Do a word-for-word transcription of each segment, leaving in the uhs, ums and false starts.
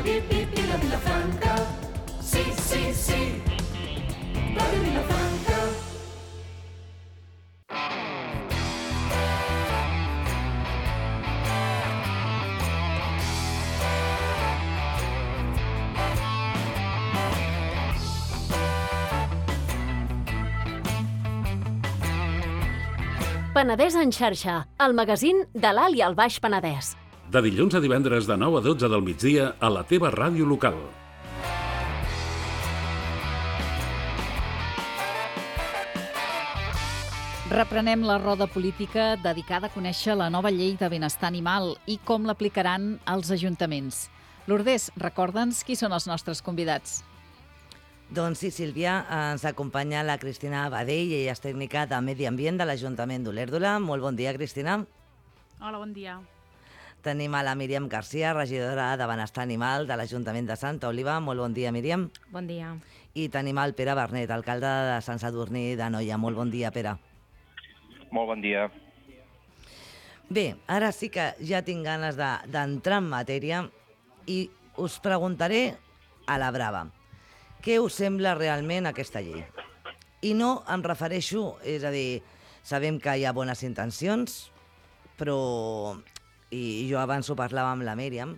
pip, pip i la Vilafranca. Sí, sí, sí, Ràdio Vilafranca. Penedès en xarxa, el magazín de l'Alt i el Baix Penedès. De dilluns a divendres de nou a dotze del migdia a la teva ràdio local. Reprenem la roda política dedicada a conèixer la nova llei de benestar animal i com l'aplicaran als ajuntaments. Lourdes, recorda'ns qui són els nostres convidats. Doncs sí, Sílvia, ens acompanya la Cristina Badell, ella és tècnica de Medi Ambient de l'Ajuntament d'Olèrdola. Molt bon dia, Cristina. Hola, bon dia. Tenim a la Míriam Garcia, regidora de Benestar Animal de l'Ajuntament de Santa Oliva. Molt bon dia, Míriam. Bon dia. I tenim el Pere Bernet, alcalde de Sant Sadurní d'Anoia. Molt bon dia, Pere. Molt bon dia. Bé, ara sí que ja tinc ganes d'entrar en matèria i us preguntaré a la brava. Què us sembla realment aquesta llei? I no em refereixo, és a dir, sabem que hi ha bones intencions, però, i jo abans ho parlava amb la Míriam,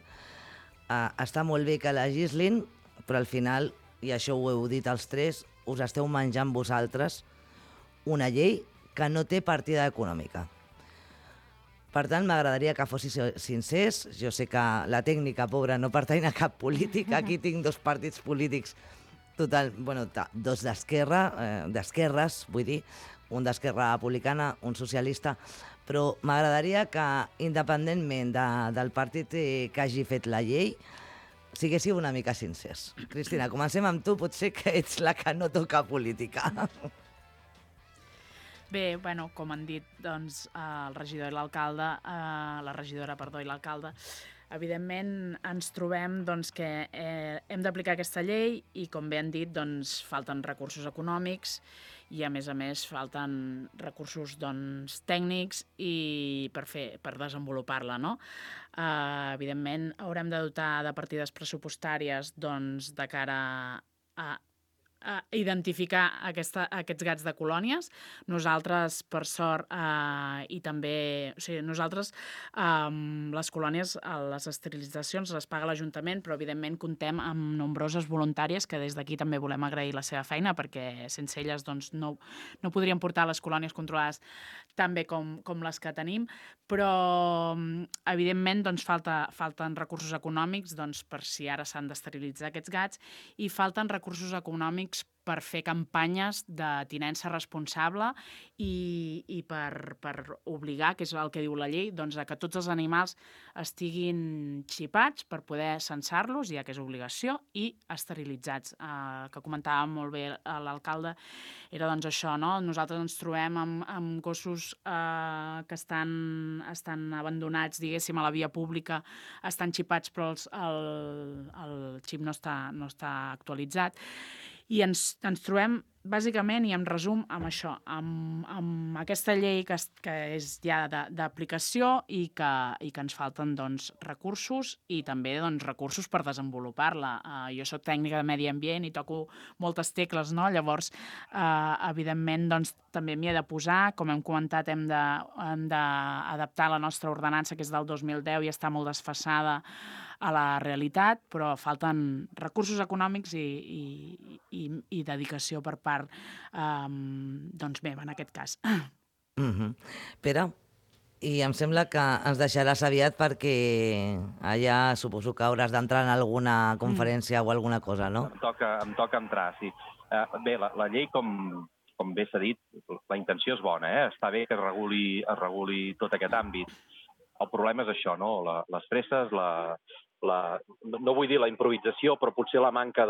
eh, està molt bé que legislin, però al final, i això ho heu dit els tres, us esteu menjant vosaltres una llei que no té partida econòmica. Per tant, m'agradaria que fossis sincers. Jo sé que la tècnica, pobra, no pertany a cap política. Aquí tinc dos partits polítics total, bueno, dos d'esquerra, eh, d'esquerres, vull dir, un d'Esquerra Republicana, un socialista, però m'agradaria que, independentment de, del partit que hagi fet la llei, siguéssiu una mica sincers. Cristina, comencem amb tu, potser que ets la que no toca política. Bé, bueno, com han dit doncs, el regidor i l'alcalde, eh, la regidora, perdó, i l'alcalde, evidentment ens trobem doncs, que eh, hem d'aplicar aquesta llei i, com bé han dit, doncs, falten recursos econòmics i, a més a més, falten recursos doncs, tècnics i per, fer, per desenvolupar-la. No? Eh, evidentment, haurem de dotar de partides pressupostàries doncs, de cara a a identificar aquesta, aquests gats de colònies. Nosaltres, per sort, eh, i també... O sigui, nosaltres, eh, les colònies, les esterilitzacions les paga l'Ajuntament, però, evidentment, comptem amb nombroses voluntàries que des d'aquí també volem agrair la seva feina, perquè sense elles doncs, no, no podríem portar les colònies controlades tan bé com, com les que tenim, però, evidentment, doncs, falta, falten recursos econòmics doncs, per si ara s'han d'esterilitzar aquests gats i falten recursos econòmics per fer campanyes de tinença responsable i, i per, per obligar, que és el que diu la llei, doncs, a que tots els animals estiguin xipats per poder censar-los, ja que és obligació, i esterilitzats. Eh, que comentava molt bé l'alcalde, era doncs això, no? Nosaltres ens trobem amb, amb gossos eh, que estan, estan abandonats, diguéssim, a la via pública, estan xipats però els, el, el xip no està, no està actualitzat. I ens, ens trobem, bàsicament, i en resum, amb això, amb, amb aquesta llei que, que és ja d'aplicació i, que, i que ens falten doncs, recursos i també doncs, recursos per desenvolupar-la. Uh, jo soc tècnica de medi ambient i toco moltes tecles, no? Llavors, uh, evidentment, doncs, també m'hi he de posar. Com hem comentat, hem d'adaptar la nostra ordenança, que és del dos mil deu i està molt desfasada a la realitat, però falten recursos econòmics i, i, i, i dedicació per part um, doncs meva, en aquest cas. Mm-hmm. Pere, i em sembla que ens deixaràs aviat perquè allà suposo que hauràs d'entrar en alguna conferència mm. o alguna cosa, no? Em toca, em toca entrar, sí. Uh, bé, la, la llei, com, com bé s'ha dit, la intenció és bona, eh? Està bé que es reguli, es reguli tot aquest àmbit. El problema és això, no? La, les presses, la... La, no vull dir la improvisació, però potser la manca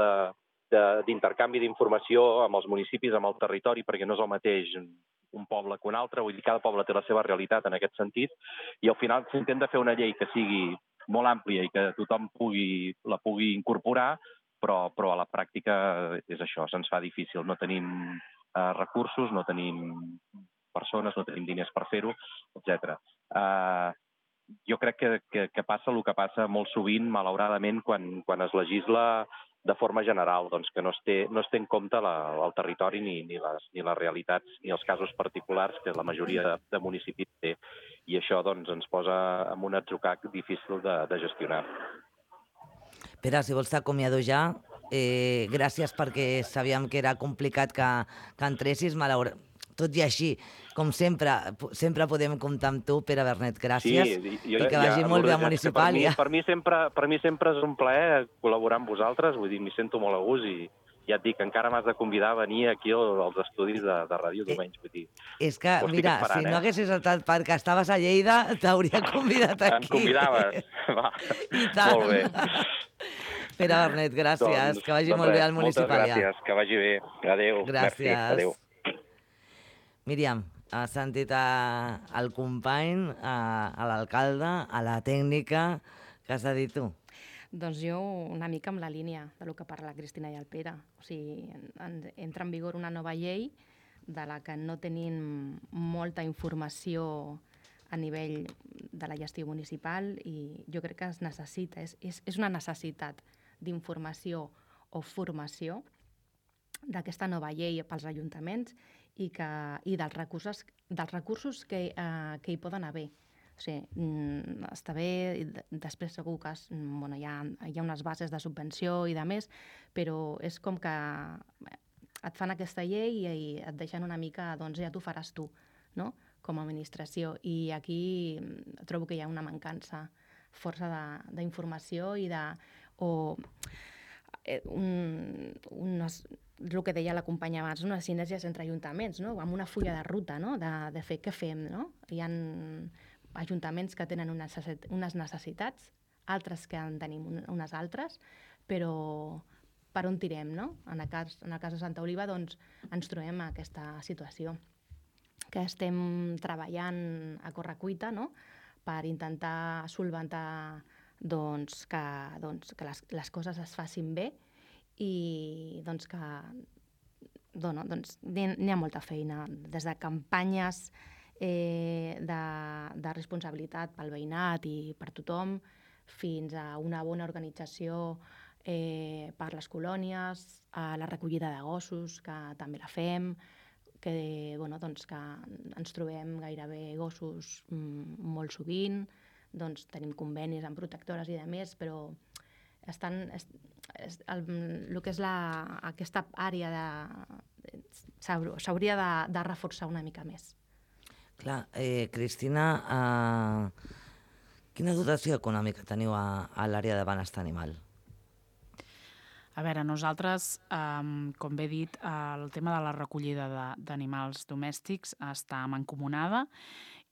d'intercanvi d'informació amb els municipis, amb el territori, perquè no és el mateix un poble que un altre, vull dir, cada poble té la seva realitat en aquest sentit, i al final s'intenta fer una llei que sigui molt àmplia i que tothom pugui, la pugui incorporar, però, però a la pràctica és això, se'ns fa difícil. No tenim eh, recursos, no tenim persones, no tenim diners per fer-ho, etcètera. Eh, jo crec que, que, que passa el que passa molt sovint, malauradament, quan, quan es legisla de forma general, doncs que no es té, no es té en compte la, el territori ni, ni, les, ni les realitats ni els casos particulars que la majoria de, de municipis té. I això doncs, ens posa en un atzucac difícil de, de gestionar. Pere, si vols t'acomiado ja, eh, gràcies perquè sabíem que era complicat que, que entressis, malauradament. Tot i així, com sempre, sempre podem comptar amb tu, Pere Bernet, gràcies, sí, jo, i que vagi ja, molt bé a per Municipàlia. Mi, per, mi sempre, per mi sempre és un plaer col·laborar amb vosaltres, vull dir, m'hi sento molt a gust i ja et dic, encara m'has de convidar a venir aquí als estudis de, de Ràdio Domenys. Vull dir, és que, mira, esperant, si no eh? haguessis estat perquè estaves a Lleida, t'hauria convidat aquí. Em convidaves? Va, I tant. molt bé. Pere Bernet, gràcies, doncs, que vagi doncs molt res, bé al Municipàlia. Moltes gràcies, que vagi bé. Adéu. Gràcies. Merci. Adéu. Míriam, has sentit a, al company, a, a l'alcalde, a la tècnica, què has de dir tu? Doncs jo una mica amb la línia del que parla la Cristina i el Pere. O sigui, en, entra en vigor una nova llei de la que no tenim molta informació a nivell de la gestió municipal i jo crec que es necessita, és, és, és una necessitat d'informació o formació d'aquesta nova llei pels ajuntaments i, que, i dels recursos, dels recursos que, eh, que hi poden haver. O sigui, està bé, després segur que es, bueno, hi, ha, hi ha unes bases de subvenció i de més, però és com que et fan aquesta llei i, i et deixen una mica, doncs ja t'ho faràs tu, no?, com a administració. I aquí trobo que hi ha una mancança força d'informació i de... o un, unes, el que deia la companya abans, unes sinergies entre ajuntaments, no?, amb una fulla de ruta, no?, de, de fer què fem, no? Hi ha ajuntaments que tenen unes necessitats, altres que en tenim unes altres, però per on tirem, no? En el cas, en el cas de Santa Oliva, doncs, ens trobem en aquesta situació, que estem treballant a correcuita, no?, per intentar solventar doncs, que, doncs, que les, les coses es facin bé i doncs, que dono, doncs, n'hi ha molta feina, des de campanyes eh, de, de responsabilitat pel veïnat i per tothom, fins a una bona organització eh, per les colònies, a la recollida de gossos, que també la fem, que, bueno, doncs, que ens trobem gairebé gossos mm, molt sovint, doncs tenim convenis amb protectores i de més, però estan, es, es, el, el que és la, aquesta àrea de, s'hauria de, de reforçar una mica més. Clar, eh, Cristina, eh, quina dotació econòmica teniu a, a l'àrea de benestar animal? A veure, nosaltres, um, com bé dit, el tema de la recollida d'animals domèstics està mancomunada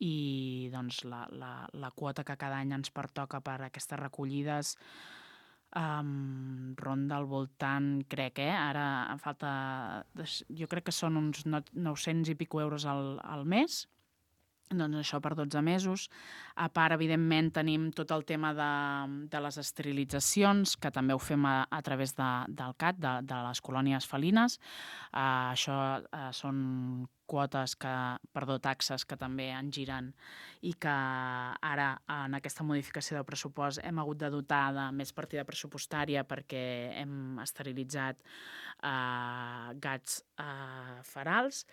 i doncs, la, la, la quota que cada any ens pertoca per aquestes recollides um, ronda al voltant, crec, eh? Ara em falta... Jo crec que són uns nou-cents i pico euros al, al mes, doncs això per dotze mesos. A part, evidentment, tenim tot el tema de, de les esterilitzacions, que també ho fem a, a través de, del C A T, de, de les colònies felines. Uh, això uh, són quotes, que, perdó, taxes que també en giren i que ara, en aquesta modificació del pressupost, hem hagut de dotar de més partida pressupostària perquè hem esterilitzat uh, gats uh, ferals.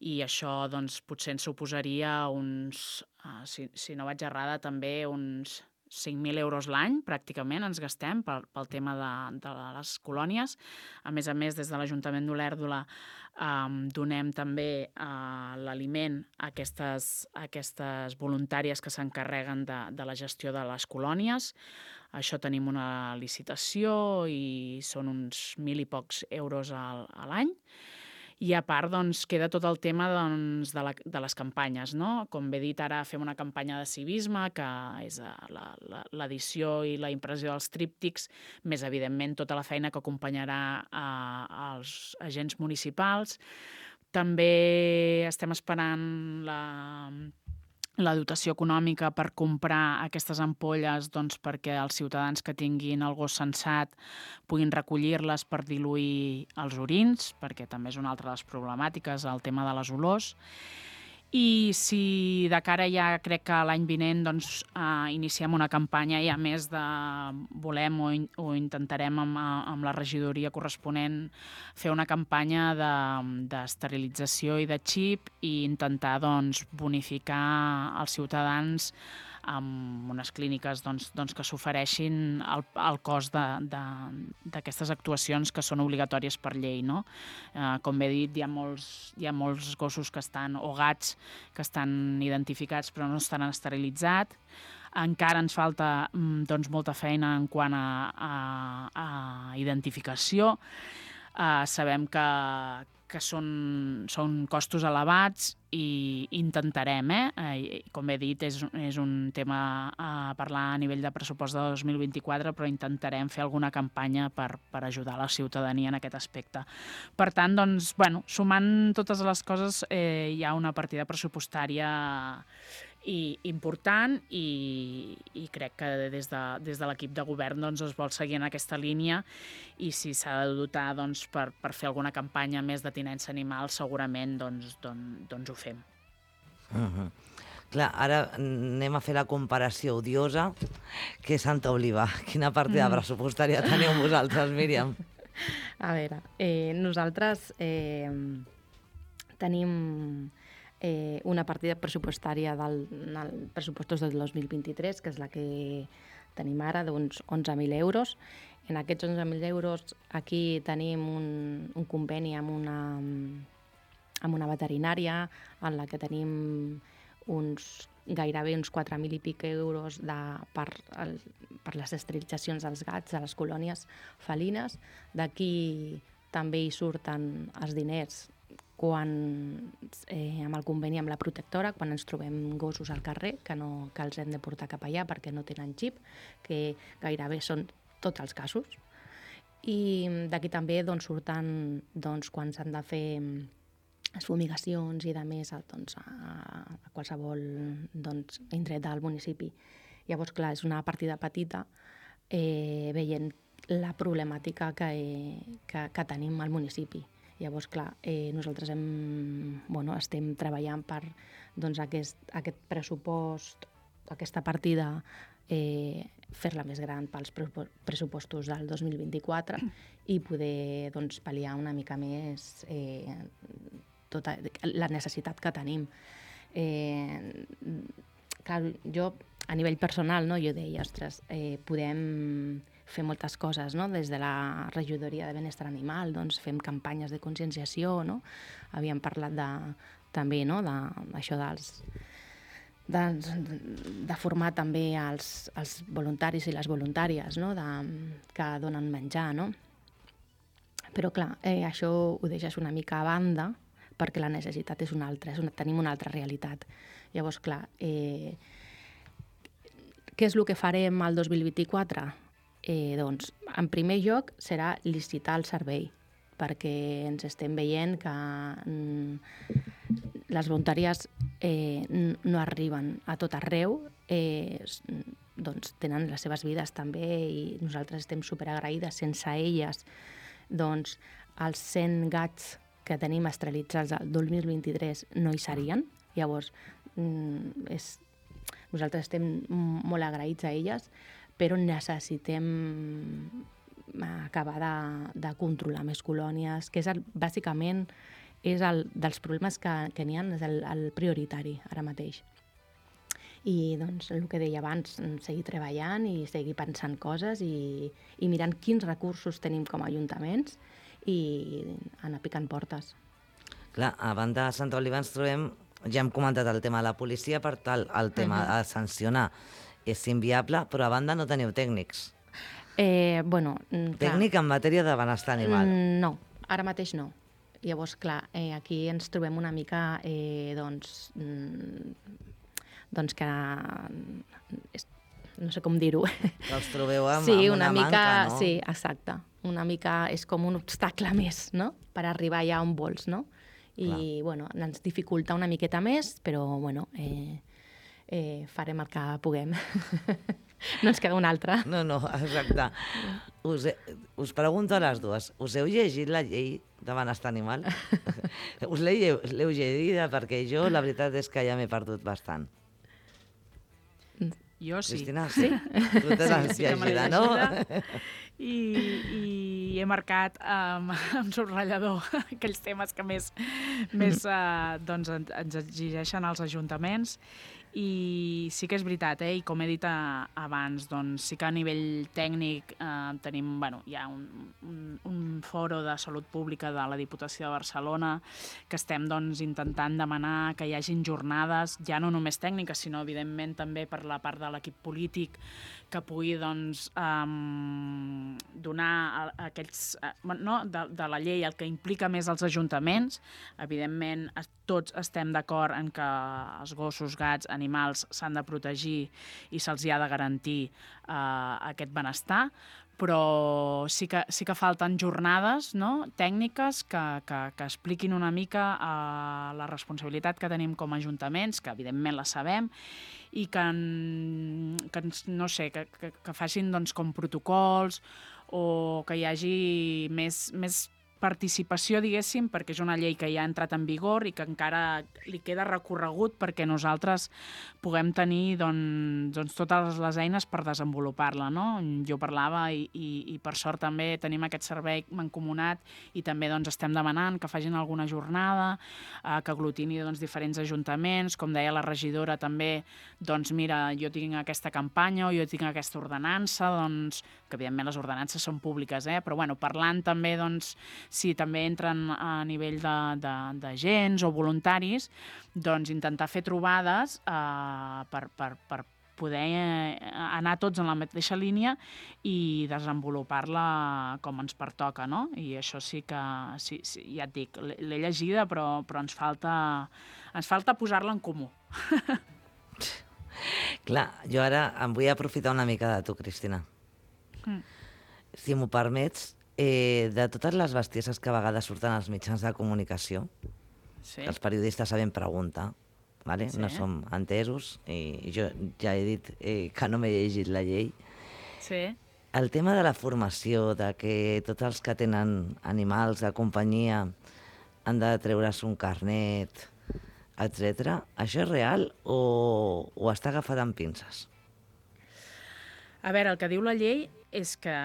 I això doncs, potser ens suposaria uns, uh, si, si no vaig errada, també uns cinc mil euros l'any, pràcticament, ens gastem pel, pel tema de, de les colònies. A més a més, des de l'Ajuntament d'Olèrdola um, donem també uh, l'aliment a aquestes, a aquestes voluntàries que s'encarreguen de, de la gestió de les colònies. Això tenim una licitació i són uns mil i pocs euros a, a l'any. I a part, doncs, queda tot el tema doncs, de, la, de les campanyes, no? Com bé dit, ara fem una campanya de civisme, que és l'edició i la impressió dels tríptics, més evidentment tota la feina que acompanyarà a, als agents municipals. També estem esperant la... la dotació econòmica per comprar aquestes ampolles doncs, perquè els ciutadans que tinguin el gos sensat puguin recollir-les per diluir els orins, perquè també és una altra de les problemàtiques, el tema de les olors. I si de cara ja crec que l'any vinent doncs, eh, iniciem una campanya ja més de volem o, in, o intentarem amb, amb la regidoria corresponent fer una campanya d'esterilització de, i de xip i intentar doncs, bonificar els ciutadans amb unes clíniques doncs, doncs, que s'ofereixin el, el cost d'aquestes actuacions que són obligatòries per llei. No? Eh, com bé dit, hi ha, molts, hi ha molts gossos que estan, o gats que estan identificats però no estan esterilitzats. Encara ens falta doncs, molta feina en quant a, a, a identificació. Eh, sabem que, que són, són costos elevats i intentarem, eh? com he dit, és, és un tema a parlar a nivell de pressupost de dos mil vint-i-quatre, però intentarem fer alguna campanya per, per ajudar la ciutadania en aquest aspecte. Per tant, doncs, bueno, sumant totes les coses, eh, hi ha una partida pressupostària i important i, i crec que des de, des de l'equip de govern doncs, es vol seguir en aquesta línia i si s'ha de dotar doncs, per, per fer alguna campanya més de tinença animal segurament doncs, doncs, doncs ho fem. Uh-huh. Clar, ara anem a fer la comparació odiosa que és Santa Oliva. Quina partida mm. pressupostària teniu vosaltres, Míriam? A veure, eh, nosaltres eh, tenim Eh, una partida pressupostària del, del pressupostos del dos mil vint-i-tres, que és la que tenim ara, d'uns onze mil euros. En aquests onze mil euros aquí tenim un, un conveni amb una, amb una veterinària en la que tenim uns, gairebé uns quatre mil i pic euros de, per, el, per les esterilitzacions dels gats a les colònies felines. D'aquí també hi surten els diners quan, eh, amb el conveni amb la protectora, quan ens trobem gossos al carrer, que, no, que els hem de portar cap allà perquè no tenen xip, que gairebé són tots els casos. I d'aquí també doncs, surten doncs, quan s'han de fer les fumigacions i de més doncs, a, a qualsevol doncs, indret del municipi. Llavors, clar, és una partida petita eh, veient la problemàtica que, eh, que, que tenim al municipi. Llavors, clar, eh, nosaltres hem, bueno, estem treballant per doncs, aquest, aquest pressupost, aquesta partida, eh, fer-la més gran pels pressupostos del dos mil vint-i-quatre i poder doncs, pal·liar una mica més eh, tota la necessitat que tenim. Eh, clar, jo, a nivell personal, no, jo deia, ostres, eh, podem fer moltes coses, no? Des de la regidoria de benestar animal, doncs fem campanyes de conscienciació, no? Havíem parlat de, també, no? de, d'això dels, de, de formar també els, els voluntaris i les voluntàries, no? de, que donen menjar, no? Però clar, eh, això ho deixes una mica a banda perquè la necessitat és una altra, és una, tenim una altra realitat. Llavors, clar, eh, què és el que farem al dos mil vint-i-quatre? Eh, doncs, en primer lloc, serà licitar el servei, perquè ens estem veient que mm, les voluntàries eh, no arriben a tot arreu, eh, doncs tenen les seves vides també i nosaltres estem superagraïdes. Sense elles, doncs, els cent gats que tenim esterilitzats el dos mil vint-i-tres no hi serien. Llavors, mm, és, nosaltres estem molt agraïts a elles, però necessitem acabar de, de controlar més colònies, que és el, bàsicament és el dels problemes que, que n'hi ha, és el, el prioritari ara mateix. I doncs el que deia abans, seguir treballant i seguir pensant coses i, i mirant quins recursos tenim com a ajuntaments i anar picant portes. Clar, a banda de Santa Oliva ens trobem, ja hem comentat el tema de la policia, per tal, el tema uh-huh. de sancionar és inviable, però a banda no teniu tècnics. Eh, bueno, Tècnic clar. En matèria de benestar animal. No, ara mateix no. Llavors, clar, eh, aquí ens trobem una mica, eh, doncs, doncs que, no sé com dir-ho. Que els trobeu amb, sí, amb una, una mica, manca, no? Sí, exacte. Una mica és com un obstacle més, no?, per arribar allà on vols, no? I, clar. Bueno, ens dificulta una miqueta més, però, bueno, eh, eh, farem el que puguem. No ens queda una altra. No, no, exacte. Us, he, us pregunto a les dues. Us heu llegit la llei de benestar animal? Us l'he l'heu llegida perquè jo la veritat és que ja m'he perdut bastant. Jo sí. Cristina, sí? Tu te l'has sí que me l'he llegida, no? llegida. I, i he marcat um, amb subratllador aquells temes que més, més uh, doncs, ens exigeixen els ajuntaments. I sí que és veritat, eh? I com he dit a, abans, doncs sí que a nivell tècnic eh, tenim, bueno, hi ha un, un, un foro de salut pública de la Diputació de Barcelona que estem doncs, intentant demanar que hi hagin jornades, ja no només tècniques, sinó evidentment també per la part de l'equip polític que pugui doncs, um, donar a, a aquells, uh, no, de, de la llei el que implica més els ajuntaments. Evidentment, tots estem d'acord en que els gossos, gats, animals s'han de protegir i se'ls ha de garantir uh, aquest benestar, però sí que, sí que falten jornades, no?, tècniques que, que, que expliquin una mica uh, la responsabilitat que tenim com a ajuntaments, que evidentment la sabem, i que, que no sé, que, que, que facin doncs, com protocols o que hi hagi més, més participació, diguéssim, perquè és una llei que ja ha entrat en vigor i que encara li queda recorregut perquè nosaltres puguem tenir doncs, doncs, totes les eines per desenvolupar-la, no? Jo parlava i, i, i per sort també tenim aquest servei mancomunat i també doncs, estem demanant que facin alguna jornada, eh, que aglutini doncs, diferents ajuntaments, com deia la regidora també, doncs mira, jo tinc aquesta campanya o jo tinc aquesta ordenança, doncs, que evidentment les ordenances són públiques, eh? Però bueno, parlant també doncs, si també entren a nivell d'agents o voluntaris, doncs intentar fer trobades eh, per, per, per poder anar tots en la mateixa línia i desenvolupar-la com ens pertoca, no? I això sí que, sí, sí, ja et dic, l'he llegida, però, però ens falta, ens falta posar-la en comú. Clar, jo ara em vull aprofitar una mica de tu, Cristina. Mm. Si m'ho permets, Eh, de totes les bestieses que a vegades surten als mitjans de comunicació, sí. Els periodistes sabem preguntar, vale? Sí. No som entesos, i jo ja he dit eh, que no m'he llegit la llei. Sí. El tema de la formació, de que tots els que tenen animals de companyia han de treure's un carnet, etcètera, això és real o, o està agafat amb pinces? A veure, el que diu la llei és que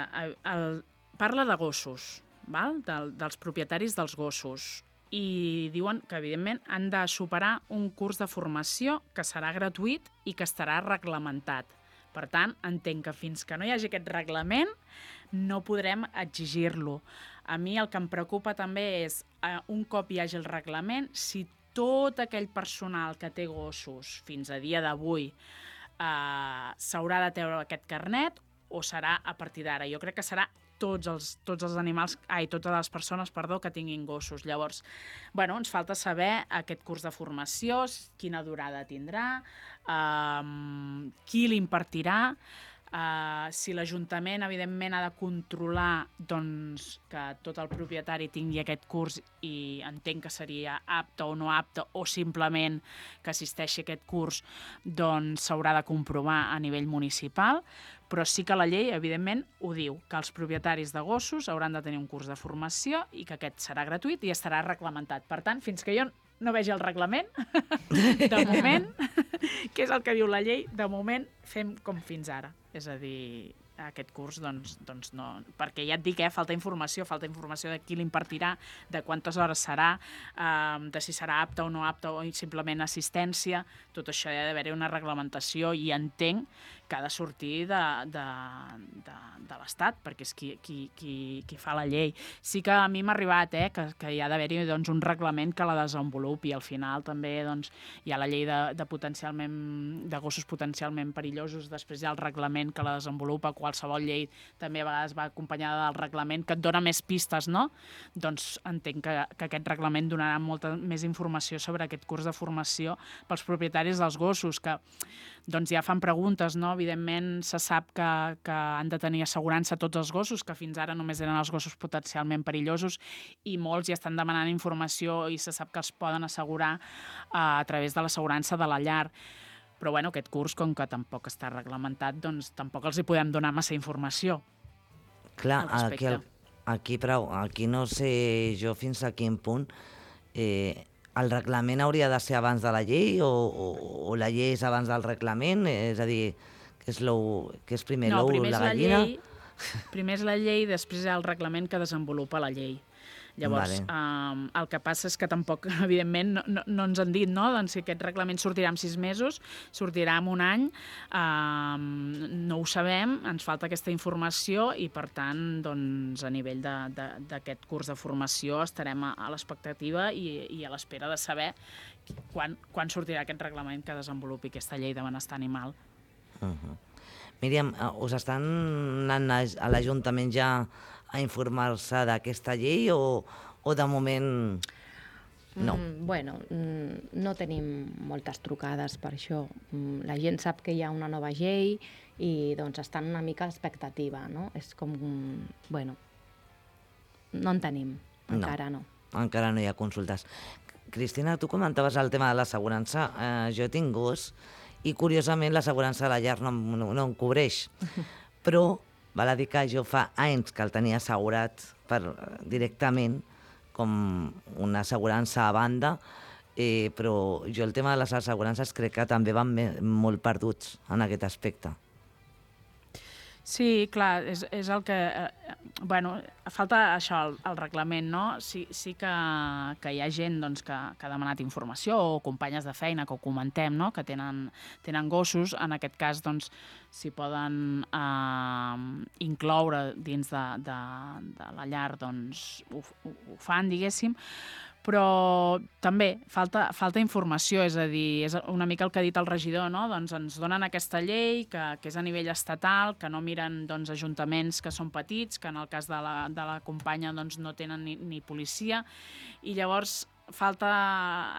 el parla de gossos, val? Del, dels propietaris dels gossos, i diuen que, evidentment, han de superar un curs de formació que serà gratuït i que estarà reglamentat. Per tant, entenc que fins que no hi hagi aquest reglament no podrem exigir-lo. A mi el que em preocupa també és, eh, un cop hi hagi el reglament, si tot aquell personal que té gossos fins a dia d'avui eh, s'haurà de treure aquest carnet o serà a partir d'ara. Jo crec que serà tots els, tots els animals, ai, totes les persones, perdó, que tinguin gossos. Llavors, bueno, ens falta saber aquest curs de formació, quina durada tindrà, um, qui l'impartirà, uh, si l'Ajuntament, evidentment, ha de controlar doncs, que tot el propietari tingui aquest curs i entenc que seria apte o no apte, o simplement que assisteixi a aquest curs, doncs s'haurà de comprovar a nivell municipal, però sí que la llei, evidentment, ho diu, que els propietaris de gossos hauran de tenir un curs de formació i que aquest serà gratuït i estarà reglamentat. Per tant, fins que jo no vegi el reglament, de moment, que és el que diu la llei, de moment fem com fins ara. És a dir, aquest curs, doncs, doncs no... Perquè ja et dic, eh, falta informació, falta informació de qui l'impartirà, de quantes hores serà, eh, de si serà apte o no apte, o simplement assistència. Tot això hi ha d'haver una reglamentació i entenc que ha de sortir de, de, de, de l'Estat, perquè és qui, qui, qui, qui fa la llei. Sí que a mi m'ha arribat eh, que, que hi ha d'haver-hi doncs, un reglament que la desenvolupi. Al final també doncs, hi ha la llei de, de, potencialment, de gossos potencialment perillosos, després hi ha el reglament que la desenvolupa, qualsevol llei també a vegades va acompanyada del reglament, que et dona més pistes, no? Doncs entenc que, que aquest reglament donarà molta més informació sobre aquest curs de formació pels propietaris dels gossos, que doncs ja fan preguntes, no? Evidentment se sap que, que han de tenir assegurança tots els gossos, que fins ara només eren els gossos potencialment perillosos, i molts ja estan demanant informació i se sap que els poden assegurar eh, a través de l'assegurança de la llar. Però bueno, aquest curs, com que tampoc està reglamentat, doncs tampoc els hi podem donar massa informació. Clar, aquí el, aquí, prou, aquí no sé jo fins a quin punt eh, el reglament hauria de ser abans de la llei o, o, o la llei és abans del reglament, és a dir, que és, que és primer no, l'ou, primer la és la gallina... llei, primer és la llei, després hi ha el reglament que desenvolupa la llei. Llavors, Vale. um, el que passa és que tampoc, evidentment, no, no, no ens han dit, no?, doncs si aquest reglament sortirà en sis mesos, sortirà en un any, um, no ho sabem, ens falta aquesta informació i, per tant, doncs, a nivell d'aquest curs de formació estarem a, a l'expectativa i, i a l'espera de saber quan, quan sortirà aquest reglament que desenvolupi aquesta llei de benestar animal. Uh-huh. Míriam, us estan anant a l'Ajuntament ja a informar-se d'aquesta llei o, o de moment no? Mm, bueno, mm, no tenim moltes trucades per això. Mm, la gent sap que hi ha una nova llei i doncs estan una mica a l'expectativa, no? És com, bueno, no en tenim, encara no. no. Encara no hi ha consultes. Cristina, tu comentaves el tema de l'assegurança. Eh, jo tinc gos i, curiosament, l'assegurança de la llar no, no, no em cobreix. Però val a dir que jo fa anys que el tenia assegurat per, directament com una assegurança a banda, eh, però jo el tema de les assegurances crec que també van molt perduts en aquest aspecte. Sí, clar, és, és el que... Eh, bueno, falta això, el, el reglament, no? Sí, sí que, que hi ha gent doncs, que, que ha demanat informació o companyes de feina que ho comentem, no?, que tenen, tenen gossos. En aquest cas, doncs, s'hi poden eh, incloure dins de, de, de la llar, doncs ho, ho, ho fan, diguéssim. Però també falta, falta informació, és a dir, és una mica el que ha dit el regidor, no? Doncs ens donen aquesta llei que, que és a nivell estatal, que no miren doncs, ajuntaments que són petits, que en el cas de la, de la companya doncs, no tenen ni, ni policia, i llavors falta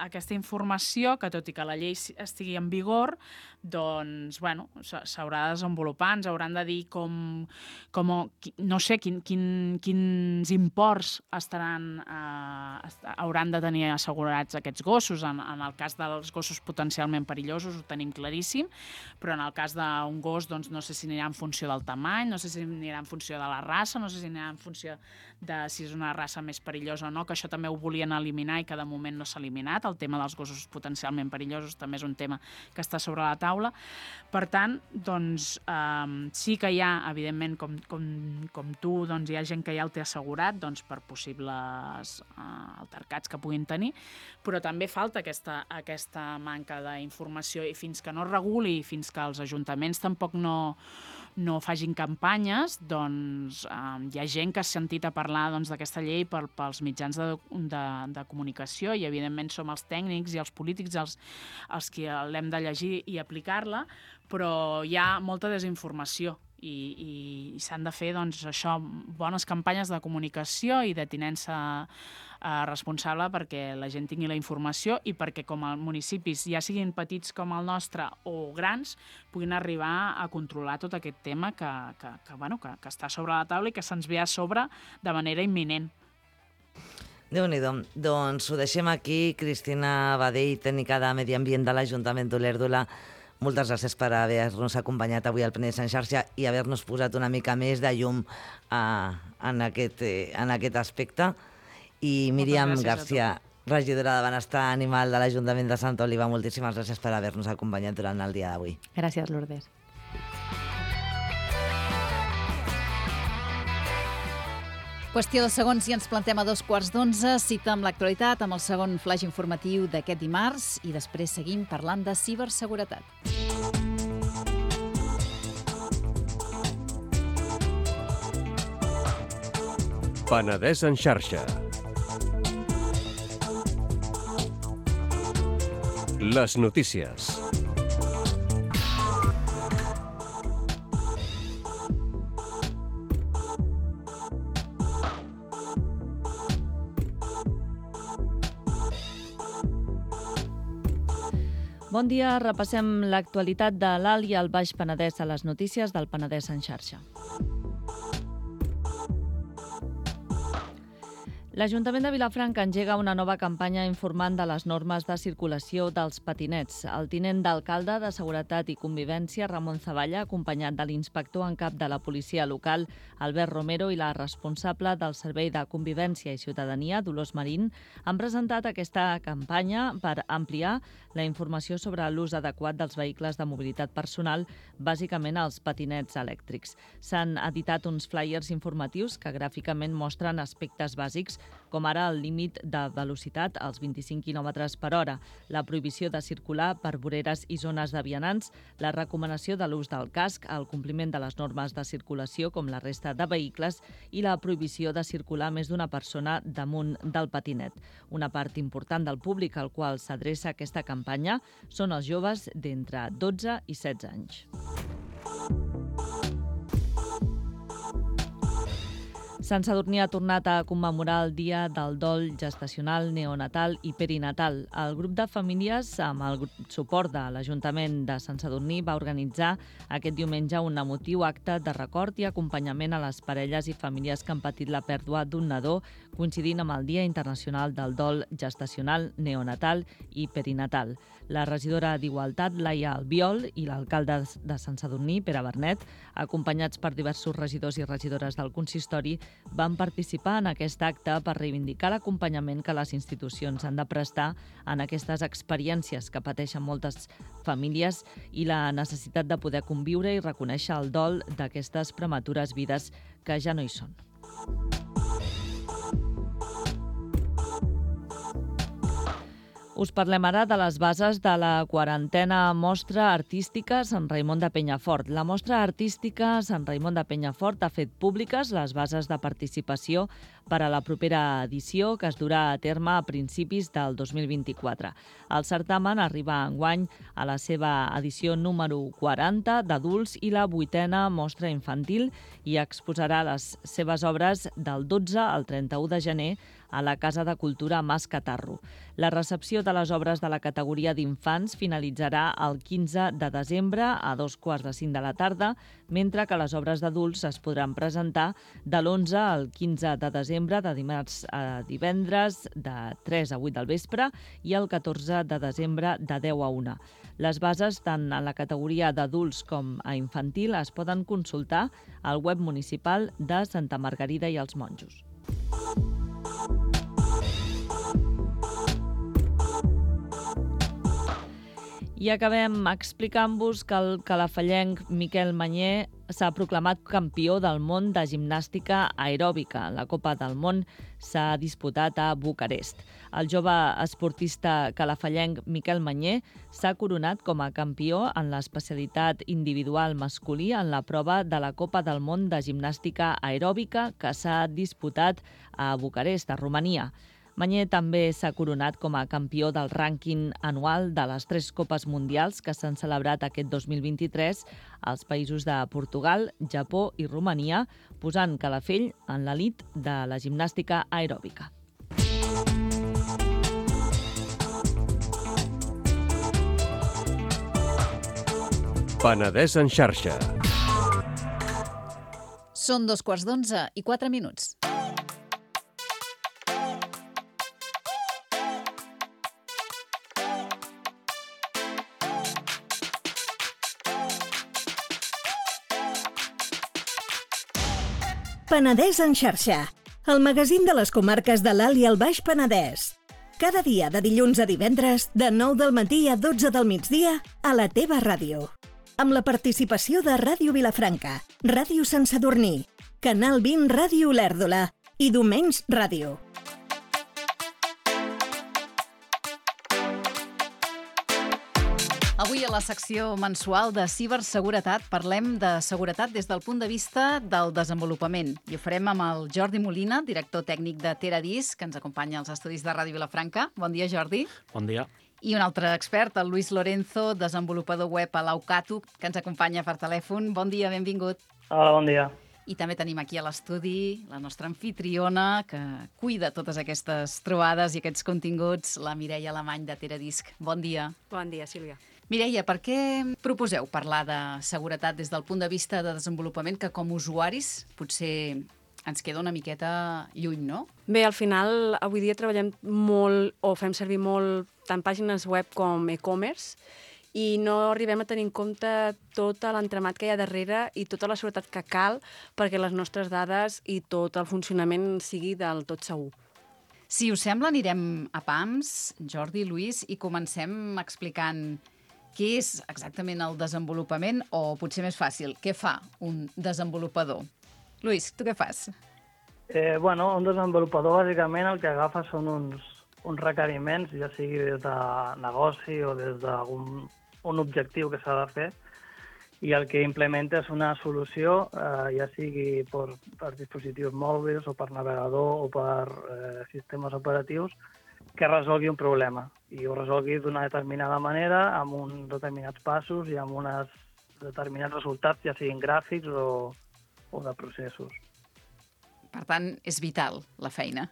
aquesta informació que, tot i que la llei estigui en vigor, doncs, bueno, s'haurà de desenvolupar, ens hauran de dir com, com no sé, quin, quin, quins imports estaran, eh, hauran de tenir assegurats aquests gossos. En, en el cas dels gossos potencialment perillosos ho tenim claríssim, però en el cas d'un gos, doncs, no sé si anirà en funció del tamany, no sé si anirà en funció de la raça, no sé si anirà en funció de si és una raça més perillosa o no, que això també ho volien eliminar i que de moment no s'ha eliminat. El tema dels gossos potencialment perillosos també és un tema que està sobre la taula. Per tant, doncs, eh, sí que hi ha, evidentment, com, com, com tu, doncs, hi ha gent que ja el té assegurat doncs, per possibles eh, altercats que puguin tenir, però també falta aquesta, aquesta manca d'informació i fins que no es reguli, fins que els ajuntaments tampoc no, no facin campanyes, doncs eh, hi ha gent que ha sentit a parlar doncs, d'aquesta llei per, pels mitjans de, de, de comunicació i, evidentment, som els tècnics i els polítics els, els que l'hem de llegir i aplicar-la, però hi ha molta desinformació i, i, i s'han de fer doncs, això, bones campanyes de comunicació i de tinença eh, responsable perquè la gent tingui la informació i perquè com a municipis, ja siguin petits com el nostre o grans, puguin arribar a controlar tot aquest tema que, que, que, bueno, que, que està sobre la taula i que se'ns ve a sobre de manera imminent. Déu-n'hi-do. Doncs ho deixem aquí. Cristina Badell, tècnica de Medi Ambient de l'Ajuntament d'Olèrdola, moltes gràcies per haver-nos acompanyat avui al Penedès en xarxa i haver-nos posat una mica més de llum uh, en, aquest, eh, en aquest aspecte. I Míriam Garcia, regidora de Benestar Animal de l'Ajuntament de Santa Oliva, moltíssimes gràcies per haver-nos acompanyat durant el dia d'avui. Gràcies, Lourdes. Qüestió de segons i ens plantem a dos quarts d'onze. Cita amb l'actualitat, amb el segon flash informatiu d'aquest dimarts i després seguim parlant de ciberseguretat. Penedès en xarxa. Les notícies. Bon dia, repassem l'actualitat de l'Alt i el Baix Penedès a les notícies del Penedès en xarxa. L'Ajuntament de Vilafranca engega una nova campanya informant de les normes de circulació dels patinets. El tinent d'alcalde de Seguretat i Convivència, Ramon Zavalla, acompanyat de l'inspector en cap de la policia local, Albert Romero, i la responsable del Servei de Convivència i Ciutadania, Dolors Marín, han presentat aquesta campanya per ampliar la informació sobre l'ús adequat dels vehicles de mobilitat personal, bàsicament els patinets elèctrics. S'han editat uns flyers informatius que gràficament mostren aspectes bàsics com ara el límit de velocitat als vint-i-cinc quilòmetres per hora, la prohibició de circular per voreres i zones de vianants, la recomanació de l'ús del casc, el compliment de les normes de circulació com la resta de vehicles i la prohibició de circular més d'una persona damunt del patinet. Una part important del públic al qual s'adreça aquesta campanya són els joves d'entre dotze i setze anys. Sant Sadurní ha tornat a commemorar el Dia del Dol Gestacional, Neonatal i Perinatal. El grup de famílies, amb el suport de l'Ajuntament de Sant Sadurní, va organitzar aquest diumenge un emotiu acte de record i acompanyament a les parelles i famílies que han patit la pèrdua d'un nadó, coincidint amb el Dia Internacional del Dol Gestacional, Neonatal i Perinatal. La regidora d'Igualtat, Laia Albiol, i l'alcalde de Sant Sadurní, Pere Bernet, acompanyats per diversos regidors i regidores del consistori, van participar en aquest acte per reivindicar l'acompanyament que les institucions han de prestar en aquestes experiències que pateixen moltes famílies i la necessitat de poder conviure i reconèixer el dol d'aquestes prematures vides que ja no hi són. Us parlem ara de les bases de la quarantena Mostra Artística Sant Raimon de Penyafort. La Mostra Artística Sant Raimon de Penyafort ha fet públiques les bases de participació per a la propera edició, que es durà a terme a principis del dos mil vint-i-quatre. El certamen arriba enguany a la seva edició número quaranta d'adults i la vuitena mostra infantil i exposarà les seves obres del dotze al trenta-u de gener a la Casa de Cultura Mas Catarro. La recepció de les obres de la categoria d'infants finalitzarà el quinze de desembre a dos quarts de cinc de la tarda, mentre que les obres d'adults es podran presentar de l'onze al quinze de desembre, de dimarts a divendres, de tres a vuit del vespre, i el catorze de desembre, de deu a una. Les bases, tant en la categoria d'adults com a infantil, es poden consultar al web municipal de Santa Margarida i els Monjos. I acabem explicant-vos que el calafallenc Miquel Mañé s'ha proclamat campió del món de gimnàstica aeròbica. La Copa del Món s'ha disputat a Bucarest. El jove esportista calafallenc Miquel Mañé s'ha coronat com a campió en l'especialitat individual masculí en la prova de la Copa del Món de gimnàstica aeròbica que s'ha disputat a Bucarest, a Romania. Mañé també s'ha coronat com a campió del rànquing anual de les tres Copes Mundials que s'han celebrat aquest dos mil vint-i-tres als països de Portugal, Japó i Romania, posant Calafell en l'elit de la gimnàstica aeròbica. Penedès en xarxa. Són dos quarts d'onze i quatre minuts. Penedès en xarxa, el magazín de les comarques de l'Alt i el Baix Penedès. Cada dia de dilluns a divendres, de nou del matí a dotze del migdia, a la teva ràdio. Amb la participació de Ràdio Vilafranca, Ràdio Sant Sadurní, Canal vint Ràdio Olèrdola i Domenys Ràdio. Avui a la secció mensual de ciberseguretat parlem de seguretat des del punt de vista del desenvolupament. I ho farem amb el Jordi Molina, director tècnic de Teradisc, que ens acompanya als estudis de Ràdio Vilafranca. Bon dia, Jordi. Bon dia. I un altre expert, el Luis Lorenzo, desenvolupador web a l'Aucatu, que ens acompanya per telèfon. Bon dia, benvingut. Hola, bon dia. I també tenim aquí a l'estudi la nostra anfitriona, que cuida totes aquestes trobades i aquests continguts, la Mireia Alemany de Teradisc. Bon dia. Bon dia, Sílvia. Mireia, per què proposeu parlar de seguretat des del punt de vista de desenvolupament que com usuaris potser ens queda una miqueta lluny, no? Bé, al final, avui dia treballem molt, o fem servir molt, tant pàgines web com e-commerce, i no arribem a tenir en compte tot l'entramat que hi ha darrere i tota la seguretat que cal perquè les nostres dades i tot el funcionament sigui del tot segur. Si us sembla, anirem a pams, Jordi, Lluís, i comencem explicant què és exactament el desenvolupament, o potser més fàcil, què fa un desenvolupador? Lluís, tu què fas? Eh, bueno, un desenvolupador bàsicament el que agafa són uns, uns requeriments, ja sigui des de negoci o des d'algun un objectiu que s'ha de fer, i el que implementa és una solució, eh, ja sigui per, per dispositius mòbils o per navegador o per eh, sistemes operatius, que resolgui un problema i ho resolgui d'una determinada manera, amb uns determinats passos i amb uns determinats resultats, ja siguin gràfics o, o de processos. Per tant, és vital la feina.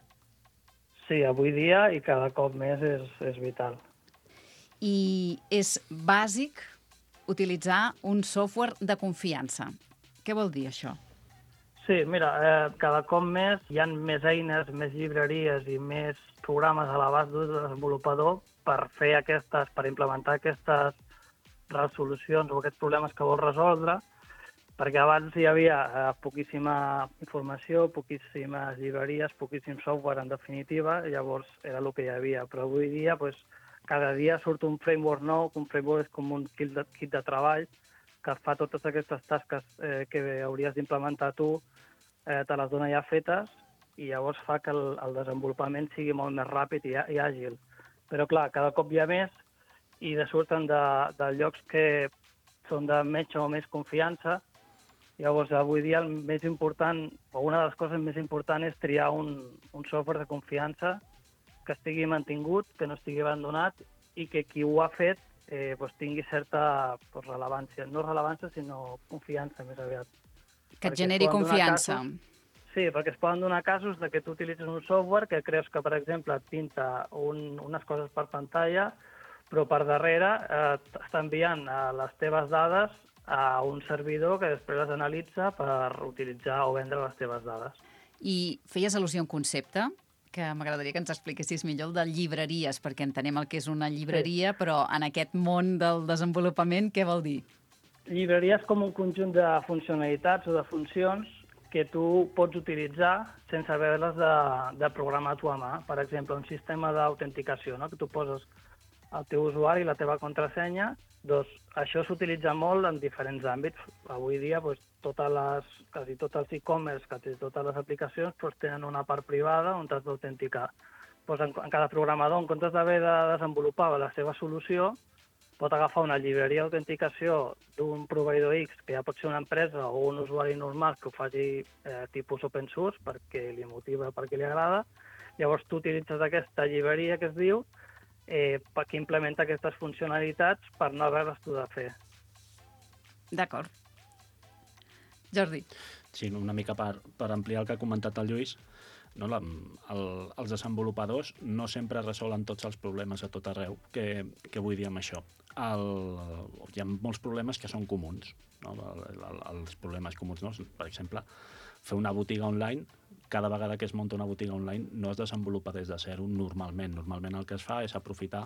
Sí, avui dia i cada cop més és, és vital. I és bàsic utilitzar un software de confiança. Què vol dir això? Sí, mira, eh, cada cop més hi ha més eines, més llibreries i més programes a l'abast d'un desenvolupador per fer aquestes, per implementar aquestes resolucions o aquests problemes que vol resoldre, perquè abans hi havia eh, poquíssima informació, poquíssimes llibreries, poquíssim software, en definitiva, i llavors era el que hi havia. Però avui dia, pues, cada dia surt un framework nou, un framework és com un kit de, kit de treball que fa totes aquestes tasques eh, que hauries d'implementar tu, eh, te les dona ja fetes, i llavors fa que el, el desenvolupament sigui molt més ràpid i, i àgil. Però, clar, cada cop hi ha més i de surten de, de llocs que són de menys o més confiança. Llavors, avui dia el més important, o una de les coses més importants, és triar un, un software de confiança que estigui mantingut, que no estigui abandonat i que qui ho ha fet eh, pues, tingui certa pues, rellevància. No rellevància, sinó confiança, més aviat. Que et generi confiança. Casos, sí, perquè es poden donar casos de que tu utilitzes un software que creus que, per exemple, et pinta un, unes coses per pantalla, però per darrere eh, està enviant eh, les teves dades a un servidor que després les analitza per utilitzar o vendre les teves dades. I feies al·lusió a un concepte que m'agradaria que ens expliquessis millor, el de llibreries, perquè entenem el que és una llibreria, sí. Però en aquest món del desenvolupament, què vol dir? Llibreria és com un conjunt de funcionalitats o de funcions que tu pots utilitzar sense haver-les de, de programar a tu a mà. Per exemple, un sistema d'autenticació, no? Que tu poses el teu usuari i la teva contrasenya. Doncs això s'utilitza molt en diferents àmbits. Avui dia, doncs, totes les, quasi tots els e-commerce, quasi totes les aplicacions doncs, tenen una part privada on t'has d'autenticar. Doncs en, en cada programador, en comptes d'haver de desenvolupar la seva solució, pot agafar una llibreria d'autenticació d'un proveïdor X, que ja pot ser una empresa o un usuari normal que ho faci eh, tipus open source perquè li motiva, perquè li agrada. Llavors tu utilitzes aquesta llibreria que es diu eh, que implementa aquestes funcionalitats per no haver-les tu de fer. D'acord. Jordi. Sí, una mica per, per ampliar el que ha comentat el Lluís, no, la, el, els desenvolupadors no sempre resolen tots els problemes a tot arreu que, que vull dir amb això. El, hi ha molts problemes que són comuns, no? el, el, els problemes comuns, no? Per exemple, fer una botiga online, cada vegada que es munta una botiga online no es desenvolupa des de zero normalment. Normalment el que es fa és aprofitar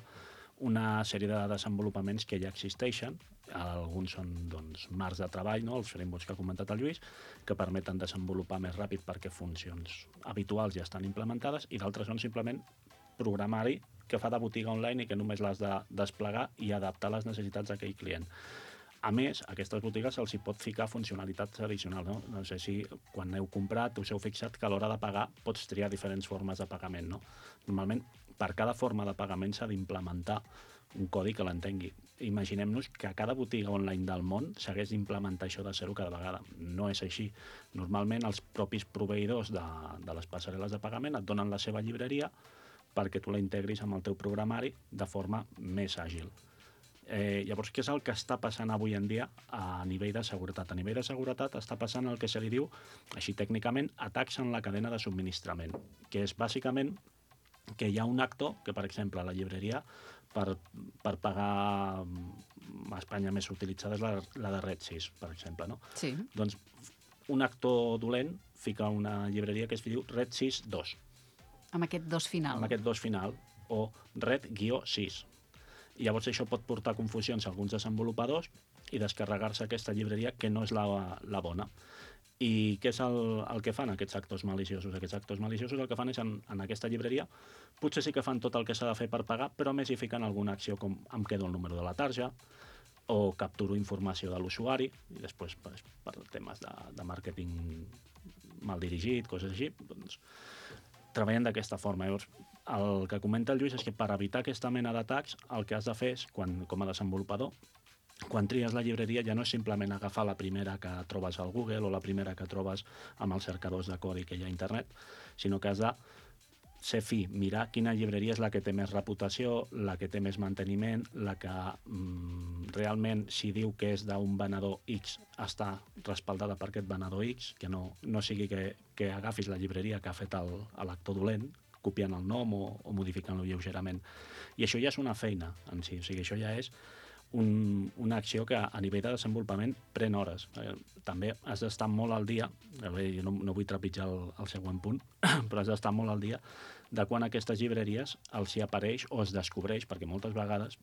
una sèrie de desenvolupaments que ja existeixen. Alguns són doncs, marcs de treball, no? Els frameworks que ha comentat el Lluís, que permeten desenvolupar més ràpid perquè funcions habituals ja estan implementades, i d'altres són simplement programari que fa de botiga online i que només l'has de desplegar i adaptar les necessitats d'aquell client. A més, a aquestes botigues se'ls hi pot ficar funcionalitats addicionals. No? No sé si quan heu comprat us heu fixat que a l'hora de pagar pots triar diferents formes de pagament. No? Normalment, per cada forma de pagament s'ha d'implementar un codi que l'entengui. Imaginem-nos que a cada botiga online del món s'hagués d'implementar això de zero cada vegada. No és així. Normalment els propis proveïdors de, de les passarel·les de pagament et donen la seva llibreria perquè tu la integris amb el teu programari de forma més àgil. Eh, llavors, què és el que està passant avui en dia a nivell de seguretat? A nivell de seguretat està passant el que se li diu, així tècnicament, atacs en la cadena de subministrament, que és bàsicament que hi ha un actor, que per exemple la llibreria per, per pagar a Espanya més utilitzada és la, la de Red sis, per exemple. No? Sí. Doncs un actor dolent fica una llibreria que es diu Red sis dos. Amb aquest dos final. Amb aquest dos final, o Red sis. I llavors això pot portar confusions a alguns desenvolupadors i descarregar-se aquesta llibreria que no és la, la bona. I què és el, el que fan aquests actors maliciosos? Aquests actors maliciosos el que fan és, en, en aquesta llibreria, potser sí que fan tot el que s'ha de fer per pagar, però més hi fiquen alguna acció com em quedo el número de la tarja, o capturo informació de l'usuari, i després per, per temes de, de màrqueting mal dirigit, coses així, doncs treballen d'aquesta forma. Llavors, el que comenta el Lluís és que per evitar aquesta mena d'atacs, el que has de fer és, quan, com a desenvolupador, quan tries la llibreria ja no és simplement agafar la primera que trobes al Google o la primera que trobes amb els cercadors de codi que hi ha a internet, sinó que has de ser fi, mirar quina llibreria és la que té més reputació, la que té més manteniment, la que mm, realment, si diu que és d'un venedor X, està respaldada per aquest venedor X, que no, no sigui que, que agafis la llibreria que ha fet l'actor dolent, copiant el nom o, o modificant-lo lleugerament. I això ja és una feina en si, o sigui, això ja és un, una acció que a nivell de desenvolupament pren hores. Eh, també has d'estar molt al dia, bé, jo no, no vull trepitjar el, el següent punt, però has d'estar molt al dia de quan aquestes llibreries els hi apareix o es descobreix, perquè moltes vegades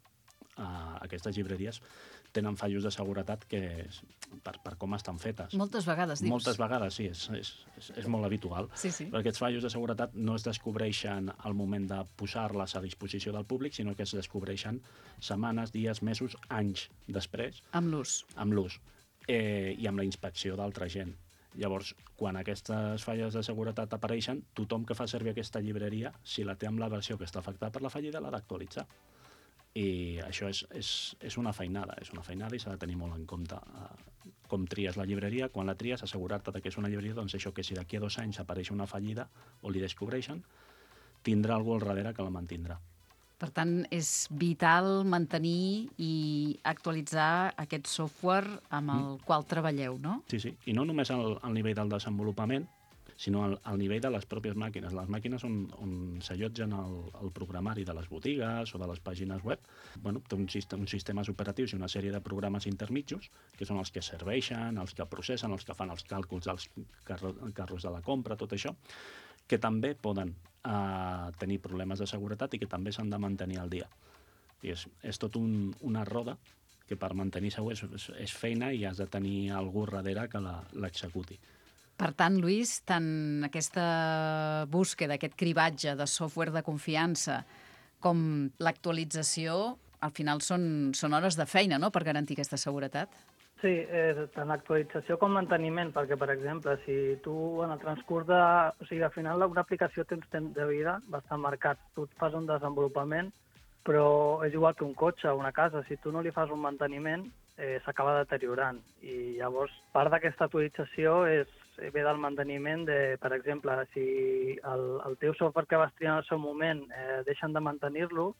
eh, aquestes llibreries tenen fallos de seguretat que és, per, per com estan fetes. Moltes vegades, dius? Moltes vegades, sí, és, és, és, és molt habitual. Sí, sí. Perquè aquests fallos de seguretat no es descobreixen al moment de posar-les a disposició del públic, sinó que es descobreixen setmanes, dies, mesos, anys després. Amb l'ús. Amb l'ús. Eh, I amb la inspecció d'altra gent. Llavors, quan aquestes falles de seguretat apareixen, tothom que fa servir aquesta llibreria, si la té amb la versió que està afectada per la fallida, l'ha d'actualitzar. I això és, és, és una feinada, és una feinada i s'ha de tenir molt en compte eh, com tries la llibreria. Quan la tries, assegurar-te que és una llibreria, doncs això que si d'aquí a dos anys apareix una fallida o li descobreixen, tindrà algú al darrere que la mantindrà. Per tant, és vital mantenir i actualitzar aquest software amb el mm. qual treballeu, no? Sí, sí, i no només al, al nivell del desenvolupament, sinó al, al nivell de les pròpies màquines. Les màquines on, on s'allotgen el, el programari de les botigues o de les pàgines web, bueno, té un sistema, uns sistemes operatius i una sèrie de programes intermitjos, que són els que serveixen, els que processen, els que fan els càlculs dels carro, carros de la compra, tot això, que també poden eh, tenir problemes de seguretat i que també s'han de mantenir al dia. I és, és tot un, una roda que per mantenir segur és, és, és feina i has de tenir algú darrere que l'executi. Per tant, Lluís, tant aquesta búsqueda, aquest cribatge de software de confiança com l'actualització, al final són, són hores de feina, no?, per garantir aquesta seguretat. Sí, eh, tant actualització com manteniment, perquè, per exemple, si tu en el transcurs de... O sigui, al final una aplicació té uns temps de vida bastant marcats. Tu et fas un desenvolupament, però és igual que un cotxe o una casa. Si tu no li fas un manteniment, eh, s'acaba deteriorant. I llavors, part d'aquesta actualització és ve del manteniment de, per exemple, si el, el teu software que vas triar en el seu moment eh, deixen de mantenir-lo,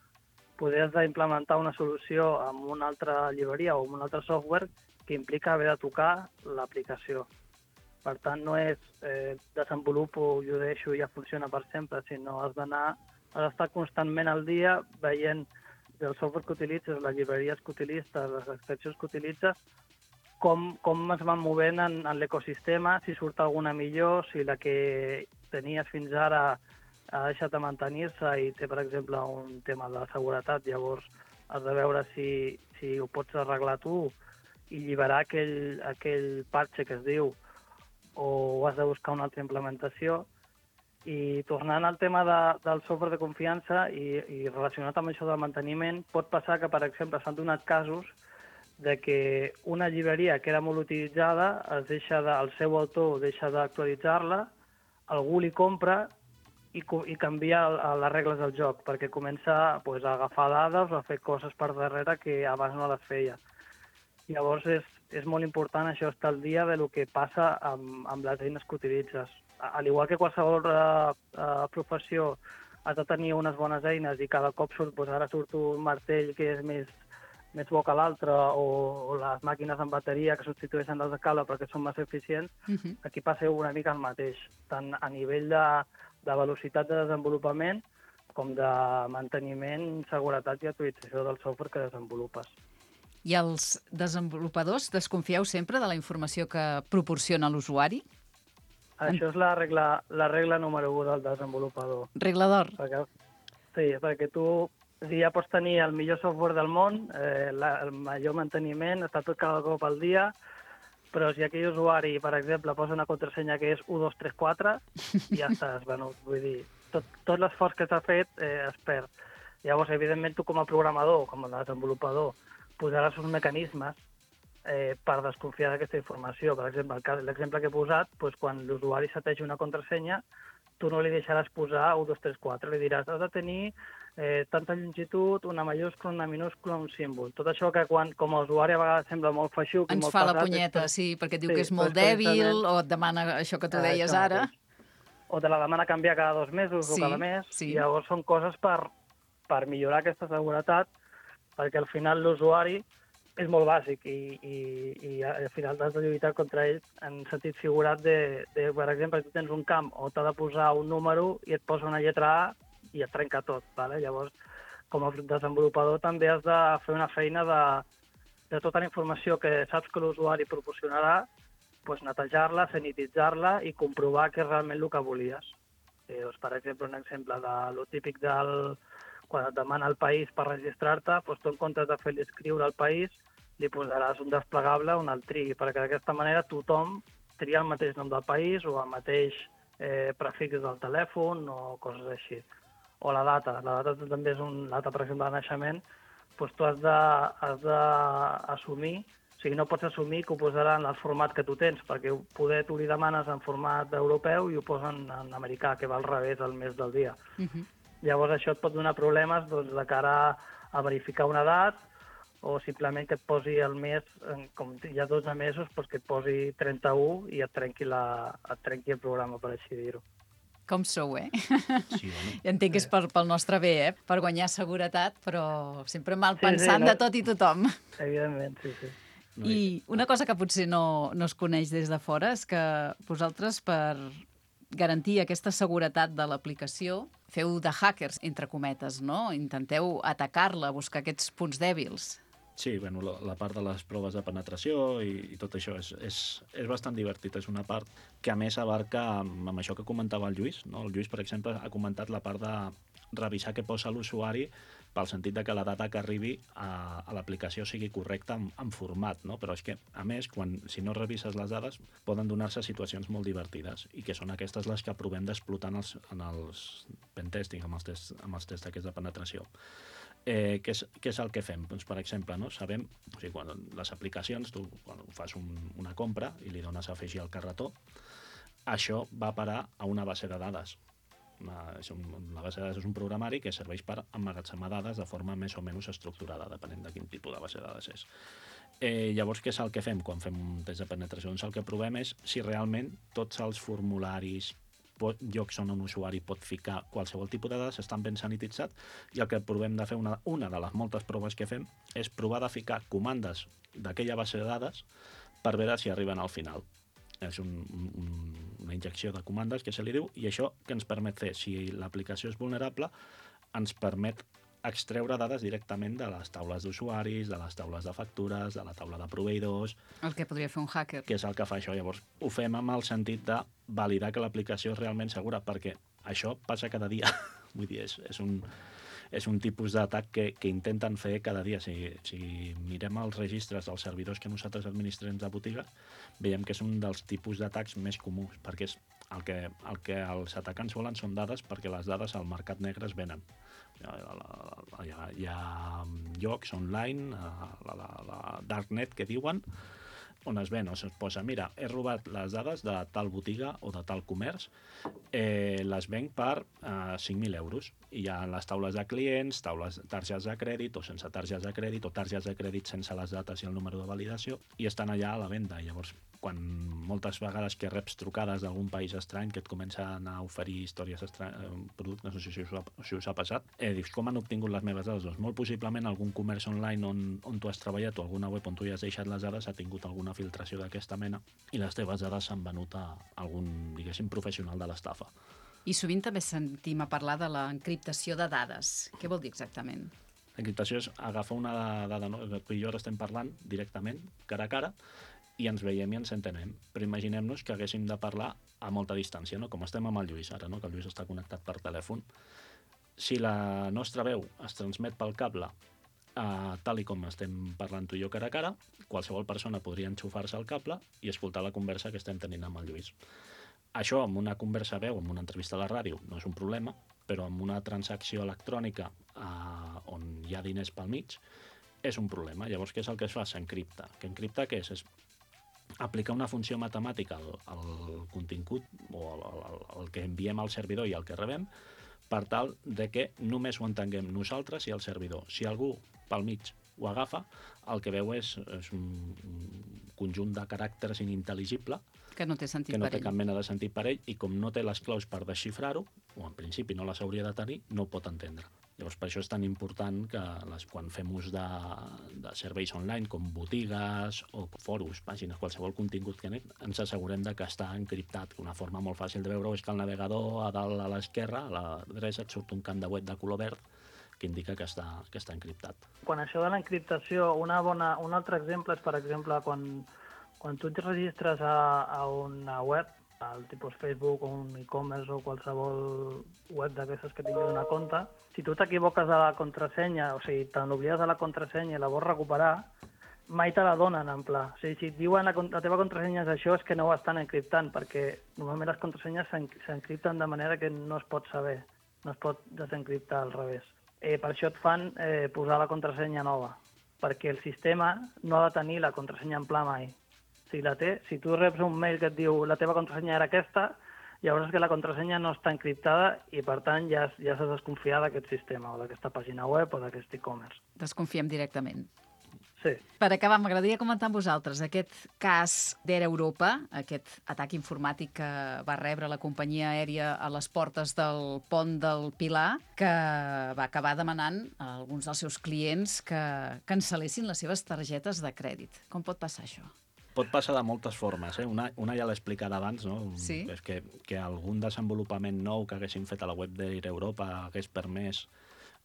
podries implementar una solució amb una altra llibreria o amb un altre software que implica haver de tocar l'aplicació. Per tant, no és eh, desenvolupo, jo deixo i ja funciona per sempre, sinó has d'anar, has d'estar constantment al dia veient del software que utilitzes, les llibreries que utilitzes, les extensions que utilitzes, com, com es van movent en, en l'ecosistema, si surt alguna millor, si la que tenies fins ara ha deixat de mantenir-se i té, per exemple, un tema de seguretat, llavors has de veure si, si ho pots arreglar tu i lliberar aquell, aquell parche que es diu, o has de buscar una altra implementació. I tornant al tema de, del software de confiança i, i relacionat amb això del manteniment, pot passar que, per exemple, s'han donat casos de que una llibreria que era molt utilitzada, es deixa de, el seu autor deixa d'actualitzar-la, algú li compra i, i canvia les regles del joc, perquè comença pues, a agafar dades o a fer coses per darrere que abans no les feia. Llavors és, és molt important això, estar al dia de lo que passa amb, amb les eines que utilitzes. Al igual que qualsevol uh, uh, professió has de tenir unes bones eines i cada cop surt, pues, ara surt un martell que és més més bo que l'altre, o, o les màquines amb bateria que substitueixen les de cable perquè són més eficients, uh-huh. Aquí passa una mica el mateix, tant a nivell de, de velocitat de desenvolupament com de manteniment, seguretat i actualització del software que desenvolupes. I els desenvolupadors desconfieu sempre de la informació que proporciona l'usuari? Això és la regla, la regla número un del desenvolupador. Regla d'or. Perquè, sí, perquè tu ja pots tenir el millor software del món, eh, la, el major manteniment, està tot cada cop al dia, però si aquell usuari, per exemple, posa una contrasenya que és u dos tres quatre, ja estàs venut. Vull dir, tot, tot l'esforç que s'ha fet eh, es perd. Llavors, evidentment, tu com a programador, com a desenvolupador, posaràs uns mecanismes eh, per desconfiar d'aquesta informació. Per exemple, l'exemple que he posat, doncs, quan l'usuari s'ateix una contrasenya, tu no li deixaràs posar u dos tres quatre, li diràs, has de tenir eh, tanta longitud, una majúscula, una minúscula, un símbol. Tot això que quan, com a usuari a vegades sembla molt feixuc i Ens molt fa pesat, la punyeta, és, sí, perquè et diu sí, que és molt doncs dèbil, precisament- o et demana això que tu Ah, deies això ara. mateix. O te la demana canviar cada dos mesos Sí, o cada mes, sí. i llavors són coses per, per millorar aquesta seguretat, perquè al final l'usuari és molt bàsic i, i, i al final has de lluitar contra ell en sentit figurat de, de per exemple, tu tens un camp o t'ha de posar un número i et posa una lletra A i et trenca tot. Vale? Llavors, com a desenvolupador també has de fer una feina de, de tota la informació que saps que l'usuari proporcionarà, pues, netejar-la, sanititzar-la i comprovar que és realment el que volies. Eh, doncs, per exemple, un exemple de lo típic del quan et demana el país per registrar-te, doncs tu en comptes de fer-li escriure al país, li posaràs un desplegable on el trigui, perquè d'aquesta manera tothom tria el mateix nom del país o el mateix eh, prefix del telèfon o coses així. O la data. La data també és una data, per exemple, de naixement, doncs tu has de, has d'assumir, o sigui, no pots assumir que ho posaran en el format que tu tens, perquè poder tu li demanes en format europeu i ho posen en americà, que va al revés el mes del dia. Uh-huh. Llavors això et pot donar problemes doncs, de cara a verificar una edat o simplement que et posi el mes, com hi ha dotze mesos, doncs que et posi trenta-u i et trenqui, la, et trenqui el programa, per així dir-ho. Com sou, eh? Sí, bueno. Entenc que és per, pel nostre bé, eh? Per guanyar seguretat, però sempre mal Sí, sí, pensant no? de tot i tothom. Evidentment, sí, sí. I una cosa que potser no, no es coneix des de fora és que vosaltres, per garantir aquesta seguretat de l'aplicació, feu de hackers, entre cometes, no? Intenteu atacar-la, buscar aquests punts dèbils. Sí, bueno, la, la part de les proves de penetració i, i tot això és, és, és bastant divertit. És una part que, a més, abarca amb, amb això que comentava el Lluís. No? El Lluís, per exemple, ha comentat la part de revisar què posa l'usuari pel sentit de que la data que arribi a, a l'aplicació sigui correcta en, en format, no? Però és que, a més, quan, si no revises les dades, poden donar-se situacions molt divertides i que són aquestes les que provem d'explotar en els, en els pentesting, amb els tests, amb els tests aquests de penetració. Eh, què, és, què és el que fem? Doncs, per exemple, no? Sabem, o sigui, quan les aplicacions, tu quan fas un, una compra i li dones a afegir al carretó, això va parar a una base de dades. Una, és un, una base de dades és un programari que serveix per emmagatzemar dades de forma més o menys estructurada, depenent de quin tipus de base de dades és. Eh, llavors, què és el que fem quan fem un test de penetració? Doncs el que provem és si realment tots els formularis, pot, llocs on un usuari pot ficar qualsevol tipus de dades estan ben sanititzats, i el que provem de fer, una, una de les moltes proves que fem, és provar de ficar comandes d'aquella base de dades per veure si arriben al final. És un, un, una injecció de comandes, que se li diu, i això que ens permet fer, si l'aplicació és vulnerable, ens permet extreure dades directament de les taules d'usuaris, de les taules de factures, de la taula de proveïdors... El que podria fer un hacker. Que és el que fa això. Llavors, ho fem amb el sentit de validar que l'aplicació és realment segura, perquè això passa cada dia. Vull dir, és, és un... és un tipus d'atac que, que intenten fer cada dia. Si, si mirem els registres dels servidors que nosaltres administrem de botiga, veiem que és un dels tipus d'atacs més comuns, perquè és el que, el que els atacants volen són dades, perquè les dades al mercat negre es venen. Hi ha, hi ha, hi ha llocs online, la, la, la darknet que diuen, on es ven, o es posa, mira, he robat les dades de tal botiga o de tal comerç, eh, les venc per eh, cinc mil euros. I hi ha les taules de clients, taules targetes de crèdit o sense targetes de crèdit, o targetes de crèdit sense les dates i el número de validació, i estan allà a la venda. Llavors, quan moltes vegades que reps trucades d'algun país estrany que et comencen a oferir històries estranyes, productes, no sé si us ha, si us ha passat, eh, dius, com han obtingut les meves dades? Doncs molt possiblement algun comerç online on, on tu has treballat, o alguna web on tu hi has deixat les dades, ha tingut alguna filtració d'aquesta mena, i les teves dades s'han venut a algun, diguéssim, professional de l'estafa. I sovint també sentim a parlar de l'encriptació de dades. Què vol dir exactament? L'encriptació és agafar una dada, no? Tu i jo ara estem parlant directament, cara a cara, i ens veiem i ens entenem. Però imaginem-nos que haguéssim de parlar a molta distància, no? Com estem amb el Lluís ara, no? Que el Lluís està connectat per telèfon. Si la nostra veu es transmet pel cable, Uh, tal i com estem parlant tu i jo cara a cara, qualsevol persona podria enxufar-se al cable i escoltar la conversa que estem tenint amb el Lluís. Això, amb una conversa veu, amb una entrevista a la ràdio, no és un problema, però amb una transacció electrònica uh, on hi ha diners pel mig, és un problema. Llavors, què és el que es fa? S'encripta. Què encripta què és? És aplicar una funció matemàtica al, al contingut o al, al, al que enviem al servidor i al que rebem, per tal de que només ho entenguem nosaltres i el servidor. Si algú pel mig ho agafa, el que veu és, és un, un conjunt de caràcters inintel·ligible que no té sentit que no per té ell. cap mena de sentit per ell, i com no té les claus per desxifrar-ho, o en principi no les hauria de tenir, no ho pot entendre. Llavors, per això és tan important que les, quan fem ús de, de serveis online, com botigues o fòrums, pàgines, qualsevol contingut que anem, ens assegurem de que està encriptat. Una forma molt fàcil de veure-ho és que el navegador a dalt a l'esquerra, a la dreta, et surt un camp de web de color verd que indica que està, que està encriptat. Quan això de l'encriptació, una bona, un altre exemple és, per exemple, quan, quan tu et registres a, a una web, al tipus Facebook o un e-commerce o qualsevol web d'aquestes que tinguis una compte, si tu t'equivoques de la contrasenya, o sigui, te n'oblides de la contrasenya i la vols recuperar, mai te la donen, en pla. O sigui, si et diuen la, la teva contrasenya és això, és que no ho estan encriptant, perquè normalment les contrasenyes s'encripten de manera que no es pot saber, no es pot desencriptar al revés. Eh, per això et fan eh, posar la contrasenya nova, perquè el sistema no ha de tenir la contrasenya en pla mai. Si la té, si tu reps un mail que et diu la teva contrasenya era aquesta, llavors és que la contrasenya no està encriptada i, per tant, ja, ja s'ha de desconfiar d'aquest sistema o d'aquesta pàgina web o d'aquest e-commerce. Desconfiem directament. Sí. Per acabar, m'agradaria comentar amb vosaltres aquest cas d'Air Europa, aquest atac informàtic que va rebre la companyia aèria a les portes del pont del Pilar, que va acabar demanant a alguns dels seus clients que cancel·lessin les seves targetes de crèdit. Com pot passar això? Pot passar de moltes formes, eh? Una, una ja l'he explicat abans, no? Sí. És que, que algun desenvolupament nou que haguessin fet a la web d'Air Europa hagués permès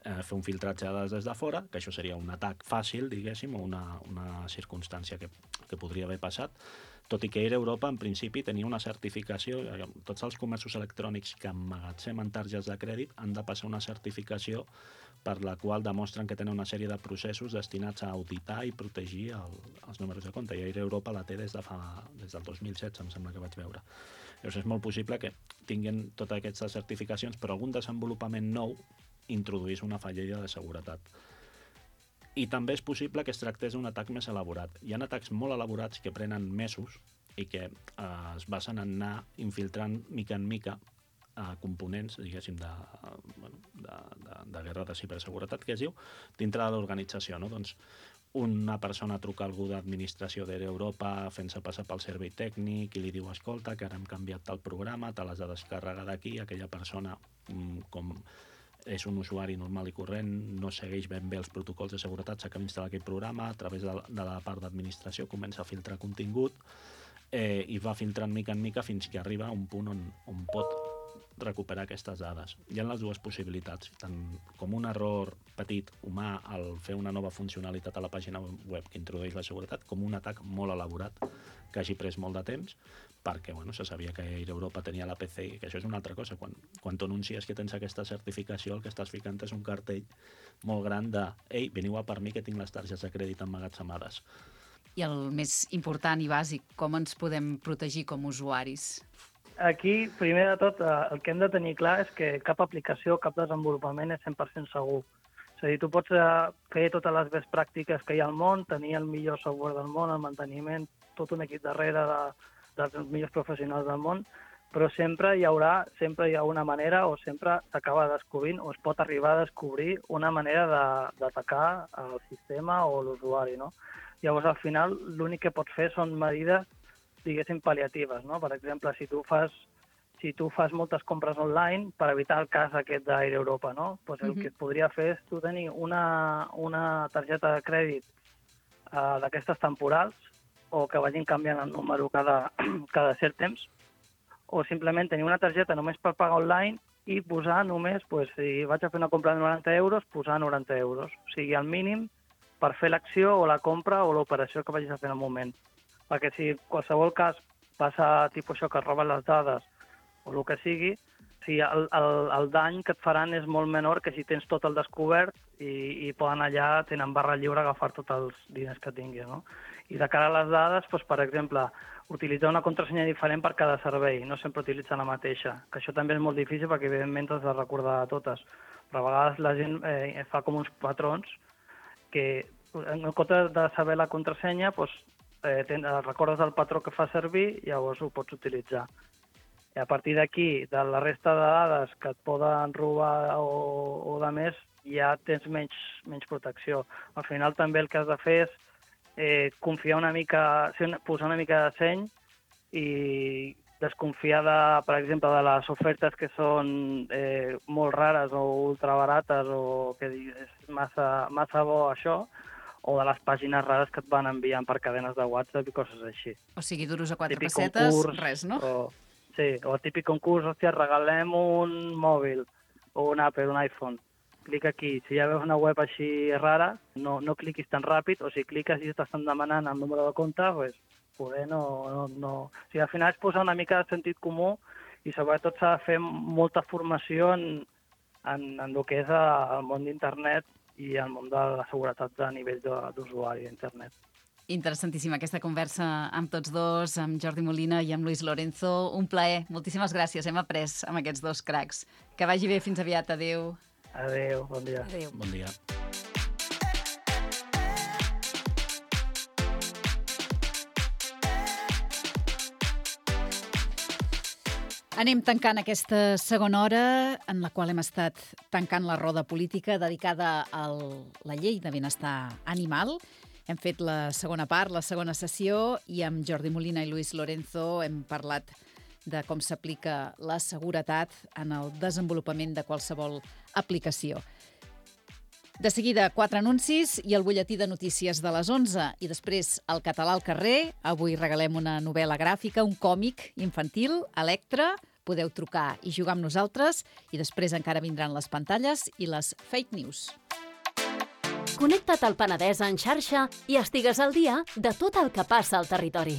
eh, fer un filtratge de dades des de fora, que això seria un atac fàcil, diguéssim, o una, una circumstància que, que podria haver passat, tot i que Air Europa, en principi, tenia una certificació. Tots els comerços electrònics que emmagatzemen targetes de crèdit han de passar una certificació per la qual demostren que tenen una sèrie de processos destinats a auditar i protegir el, els números de compte. I Air Europa la té des, de fa, des del dos mil setze, em sembla que vaig veure. Llavors és molt possible que tinguin totes aquestes certificacions, però algun desenvolupament nou introduís una fallida de seguretat. I també és possible que es tractés d'un atac més elaborat. Hi ha atacs molt elaborats que prenen mesos i que eh, es basen en anar infiltrant mica en mica a components, diguéssim, de, bueno, de, de, de guerra de ciberseguretat, que es diu, dintre de l'organització, no? Doncs una persona truca a algú d'administració d'Air Europa fent-se passar pel servei tècnic i li diu, escolta, que ara hem canviat el programa, te l'has de descarregar d'aquí, aquella persona, com és un usuari normal i corrent, no segueix ben bé els protocols de seguretat, s'acaba d'instal·lar aquell programa, a través de la, de la part d'administració comença a filtrar contingut eh, i va filtrant mica en mica fins que arriba a un punt on, on pot recuperar aquestes dades. Hi ha les dues possibilitats, tant com un error petit, humà, al fer una nova funcionalitat a la pàgina web que introdueix la seguretat, com un atac molt elaborat que hagi pres molt de temps, perquè bueno, se sabia que Air Europa tenia la P C I, que això és una altra cosa. Quan, quan tu anuncies que tens aquesta certificació, el que estàs ficant és un cartell molt gran de «Ei, veniu a per mi que tinc les targetes de crèdit emmagatzemades». I el més important i bàsic, com ens podem protegir com a usuaris? Aquí, primer de tot, el que hem de tenir clar és que cap aplicació, cap desenvolupament és cent per cent segur. És a dir, tu pots fer totes les best pràctiques que hi ha al món, tenir el millor software del món, el manteniment, tot un equip darrere de, dels millors professionals del món, però sempre hi haurà, sempre hi ha una manera o sempre s'acaba descobrint o es pot arribar a descobrir una manera d'atacar el sistema o l'usuari, no? Llavors, al final, l'únic que pots fer són medides, diguéssim, pal·liatives, no? Per exemple, si tu fas si tu fas moltes compres online, per evitar el cas aquest d'Air Europa, no? Pues el uh-huh. que es podria fer és tu tenir una, una targeta de crèdit uh, d'aquestes temporals o que vagin canviant el número cada, cada cert temps, o simplement tenir una targeta només per pagar online i posar només, pues, si vaig a fer una compra de noranta euros, posar noranta euros. O sigui, el mínim per fer l'acció o la compra o l'operació que vagis a fer en el moment. Perquè si en qualsevol cas passa tipus això que es roben les dades o el que sigui, si el, el, el dany que et faran és molt menor que si tens tot el descobert i, i poden allà, tenen barra lliure, agafar tots els diners que tinguis, no? I de cara a les dades, doncs, per exemple, utilitzar una contrasenya diferent per cada servei, no sempre utilitzar la mateixa, que això també és molt difícil perquè evidentment t'has de recordar totes, però a vegades la gent eh, fa com uns patrons que en comptes de saber la contrasenya, doncs, eh, ten, recordes el patró que fa servir i llavors ho pots utilitzar. I a partir d'aquí, de la resta de dades que et poden robar o, o de més, ja tens menys, menys protecció. Al final també el que has de fer és eh, confiar una mica, posar una mica de seny i desconfiar, de, per exemple, de les ofertes que són eh, molt rares o ultrabarates o que és massa, massa bo això, o de les pàgines rares que et van enviant per cadenes de WhatsApp i coses així. O sigui, duros a quatre Típic pessetes, concurs, res, no? O, sí, o el típic concurs, hòstia, regalem un mòbil o un Apple, un iPhone. Clica aquí. Si ja veus una web així rara, no, no cliquis tan ràpid, o si cliques i t'estan demanant el número de compte, pues, poder no, no, no... O sigui, al final és posar una mica de sentit comú i sobretot s'ha de fer molta formació en, en, en el que és el món d'internet i el món de la seguretat a nivell d'usuari d'internet. Interessantíssima aquesta conversa amb tots dos, amb Jordi Molina i amb Luis Lorenzo. Un plaer. Moltíssimes gràcies. Hem après amb aquests dos cracs. Que vagi bé. Fins aviat. Adéu. Adéu. Bon dia. Adéu. Bon dia. Anem tancant aquesta segona hora en la qual hem estat tancant la roda política dedicada a la llei de benestar animal. Hem fet la segona part, la segona sessió, i amb Jordi Molina i Luis Lorenzo hem parlat de com s'aplica la seguretat en el desenvolupament de qualsevol aplicació. De seguida, quatre anuncis i el butlletí de notícies de les onze. I després, el català al carrer. Avui regalem una novel·la gràfica, un còmic infantil, Electra. Podeu trucar i jugar amb nosaltres. I després encara vindran les pantalles i les fake news. Connecta't al Penedès en xarxa i estigues al dia de tot el que passa al territori.